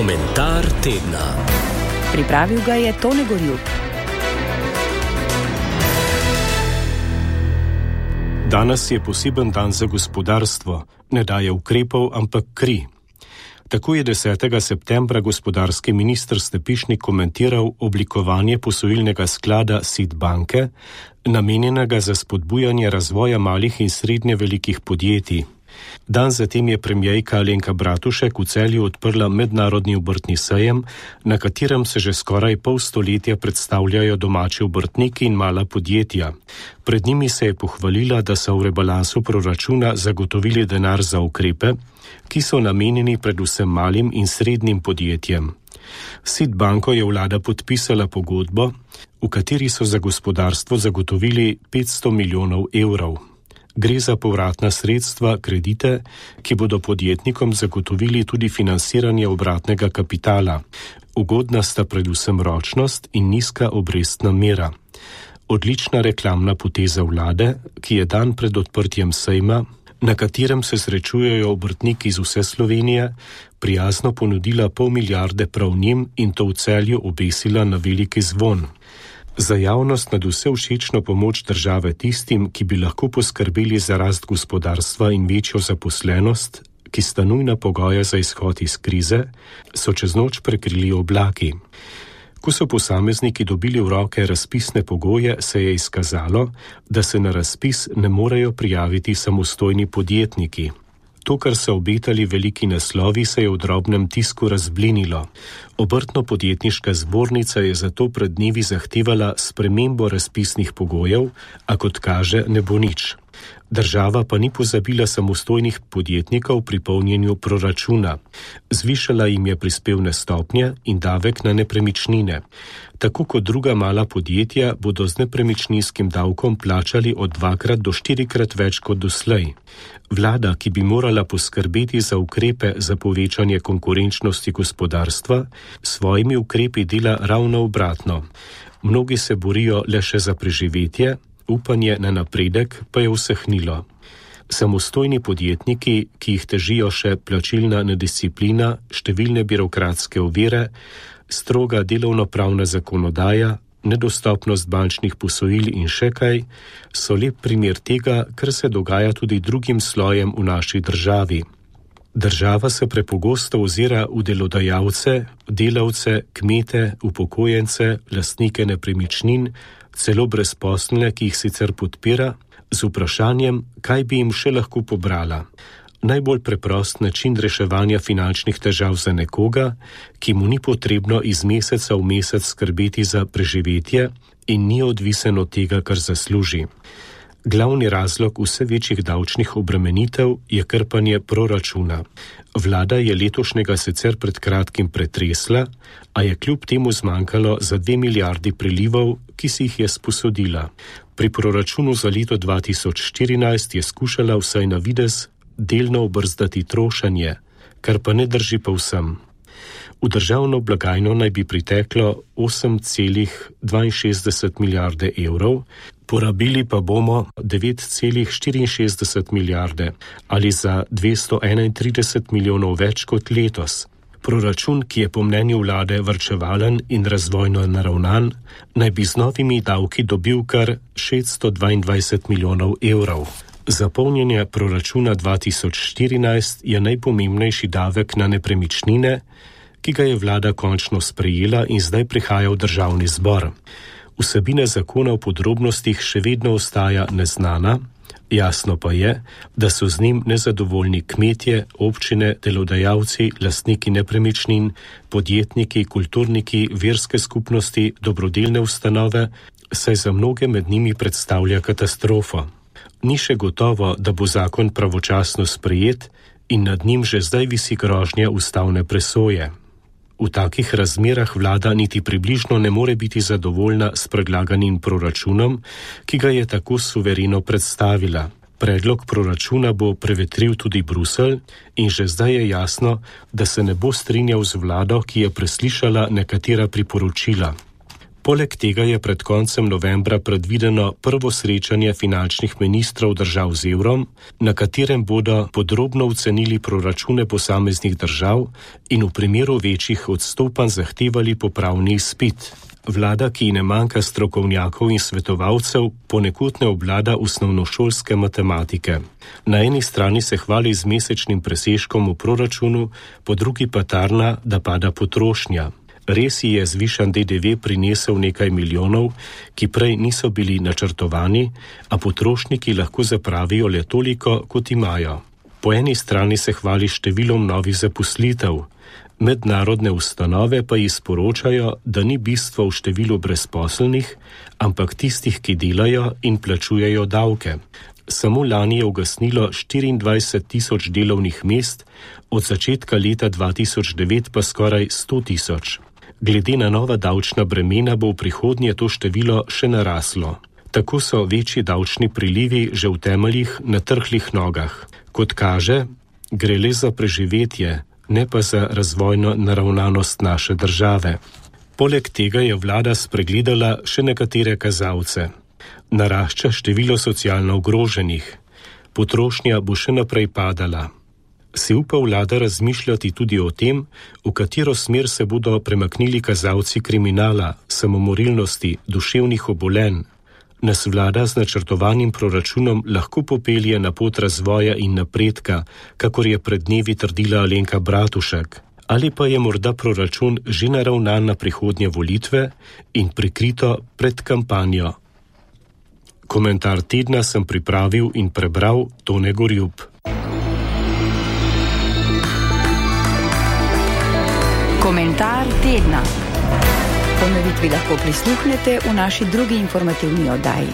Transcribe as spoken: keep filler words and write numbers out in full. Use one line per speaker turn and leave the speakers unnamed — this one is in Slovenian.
Komentar tedna.
Pripravil ga je Tone Gorjup.
Danes je poseben dan za gospodarstvo. Ne daje ukrepov, ampak kri. Tako je desetega septembra gospodarski minister Stepišnik komentiral oblikovanje posojilnega sklada S I D banke, namenjenega za spodbujanje razvoja malih in srednje velikih podjetij. Dan zatem je premierka Alenka Bratušek v Celju odprla mednarodni obrtni sejem, na katerem se že skoraj pol stoletja predstavljajo domači obrtniki in mala podjetja. Pred njimi se je pohvalila, da so v rebalansu proračuna zagotovili denar za ukrepe, ki so namenjeni predvsem malim in srednjim podjetjem. S I D banko je vlada podpisala pogodbo, v kateri so za gospodarstvo zagotovili petsto milijonov evrov. Gre za povratna sredstva, kredite, ki bodo podjetnikom zagotovili tudi financiranje obratnega kapitala. Ugodna sta predvsem ročnost in nizka obrestna mera. Odlična reklamna poteza vlade, ki je dan pred odprtjem sejma, na katerem se srečujejo obrtniki iz vse Slovenije, prijazno ponudila pol milijarde prav njim in to v Celju obesila na veliki zvon. Za javnost nad vse všečno pomoč države tistim, ki bi lahko poskrbeli za rast gospodarstva in večjo zaposlenost, ki sta nujna pogoja za izhod iz krize, so čez noč prekrili oblaki. Ko so posamezniki dobili v roke razpisne pogoje, se je izkazalo, da se na razpis ne morejo prijaviti samostojni podjetniki. To, kar so obetali veliki naslovi, se je v drobnem tisku razblinilo. Obrtno-podjetniška zbornica je zato pred dnevi zahtevala spremembo razpisnih pogojev, a kot kaže, ne bo nič. Država pa ni pozabila samostojnih podjetnikov pri polnjenju proračuna. Zvišala jim je prispevne stopnje in davek na nepremičnine. Tako kot druga mala podjetja bodo z nepremičninskim davkom plačali od dvakrat do štirikrat več kot doslej. Vlada, ki bi morala poskrbeti za ukrepe za povečanje konkurenčnosti gospodarstva, svojimi ukrepi dela ravno obratno. Mnogi se borijo le še za preživetje, upanje na napredek pa je usahnilo. Samostojni podjetniki, ki jih težijo še plačilna nedisciplina, številne birokratske ovire, stroga delovnopravna zakonodaja, nedostopnost bančnih posojil in še kaj, so lep primer tega, kar se dogaja tudi drugim slojem v naši državi. Država se prepogosto ozira v delodajalce, delavce, kmete, upokojence, lastnike nepremičnin, celo brezposelne, ki jih sicer podpira, z vprašanjem, kaj bi jim še lahko pobrala. Najbolj preprost način reševanja finančnih težav za nekoga, ki mu ni potrebno iz meseca v mesec skrbeti za preživetje in ni odvisen od tega, kar zasluži. Glavni razlog vse večjih davčnih obremenitev je krpanje proračuna. Vlada je letošnjega sicer pred kratkim pretresla, a je kljub temu zmanjkalo za dve milijardi prilivov, ki si jih je sposodila. Pri proračunu za leto dva tisoč štirinajst je skušala vsaj na videz delno obrzdati trošenje, kar pa ne drži povsem. V državno blagajno naj bi priteklo osem celih dvainšestdeset milijarde evrov, porabili pa bomo devet celih štiriinšestdeset milijarde ali za dvesto enaintrideset milijonov več kot letos. Proračun, ki je po mnenju vlade varčevalen in razvojno naravnan, naj bi z novimi davki dobil kar šeststo dvaindvajset milijonov evrov. Za polnjenje proračuna dva tisoč štirinajst je najpomembnejši davek na nepremičnine, ki ga je vlada končno sprejela in zdaj prihaja v državni zbor. Vsebina zakona v podrobnostih še vedno ostaja neznana, jasno pa je, da so z njim nezadovoljni kmetje, občine, delodajalci, lastniki nepremičnin, podjetniki, kulturniki, verske skupnosti, dobrodelne ustanove, saj za mnoge med njimi predstavlja katastrofo. Ni še gotovo, da bo zakon pravočasno sprejet in nad njim že zdaj visi grožnja ustavne presoje. V takih razmerah vlada niti približno ne more biti zadovoljna s predlaganim proračunom, ki ga je tako suvereno predstavila. Predlog proračuna bo prevetril tudi Bruselj in že zdaj je jasno, da se ne bo strinjal z vlado, ki je preslišala nekatera priporočila. Poleg tega je pred koncem novembra predvideno prvo srečanje finančnih ministrov držav z evrom, na katerem bodo podrobno ocenili proračune posameznih držav in v primeru večjih odstopanj zahtevali popravni izpit. Vlada, ki ne manjka strokovnjakov in svetovalcev, ponekod ne obvlada osnovnošolske matematike. Na eni strani se hvali z mesečnim presežkom v proračunu, po drugi pa tarna, da pada potrošnja. Res je zvišan D D V prinesel nekaj milijonov, ki prej niso bili načrtovani, a potrošniki lahko zapravijo le toliko, kot imajo. Po eni strani se hvali številom novih zaposlitev. Mednarodne ustanove pa ji sporočajo, da ni bistvo v številu brezposelnih, ampak tistih, ki delajo in plačujejo davke. Samo lani je ugasnilo štiriindvajset tisoč delovnih mest, od začetka leta dva tisoč devet pa skoraj sto tisoč. Glede na nova davčna bremena bo v prihodnje to število še naraslo. Tako so večji davčni prilivi že v temeljih na trhlih nogah. Kot kaže, gre le za preživetje, ne pa za razvojno naravnanost naše države. Poleg tega je vlada spregledala še nekatere kazalce. Narašča število socialno ogroženih. Potrošnja bo še naprej padala. Si upa vlada razmišljati tudi o tem, v katero smer se bodo premaknili kazalci kriminala, samomorilnosti, duševnih obolenj. Nas vlada z načrtovanim proračunom lahko popelje na pot razvoja in napredka, kakor je pred dnevi trdila Alenka Bratušek. Ali pa je morda proračun že naravnan na prihodnje volitve in prikrito pred kampanjo. Komentar tedna sem pripravil in prebral Tone Gorjup.
Komentar tedna. Ponovitvi lahko prisluhnete v naši drugi informativni oddaji.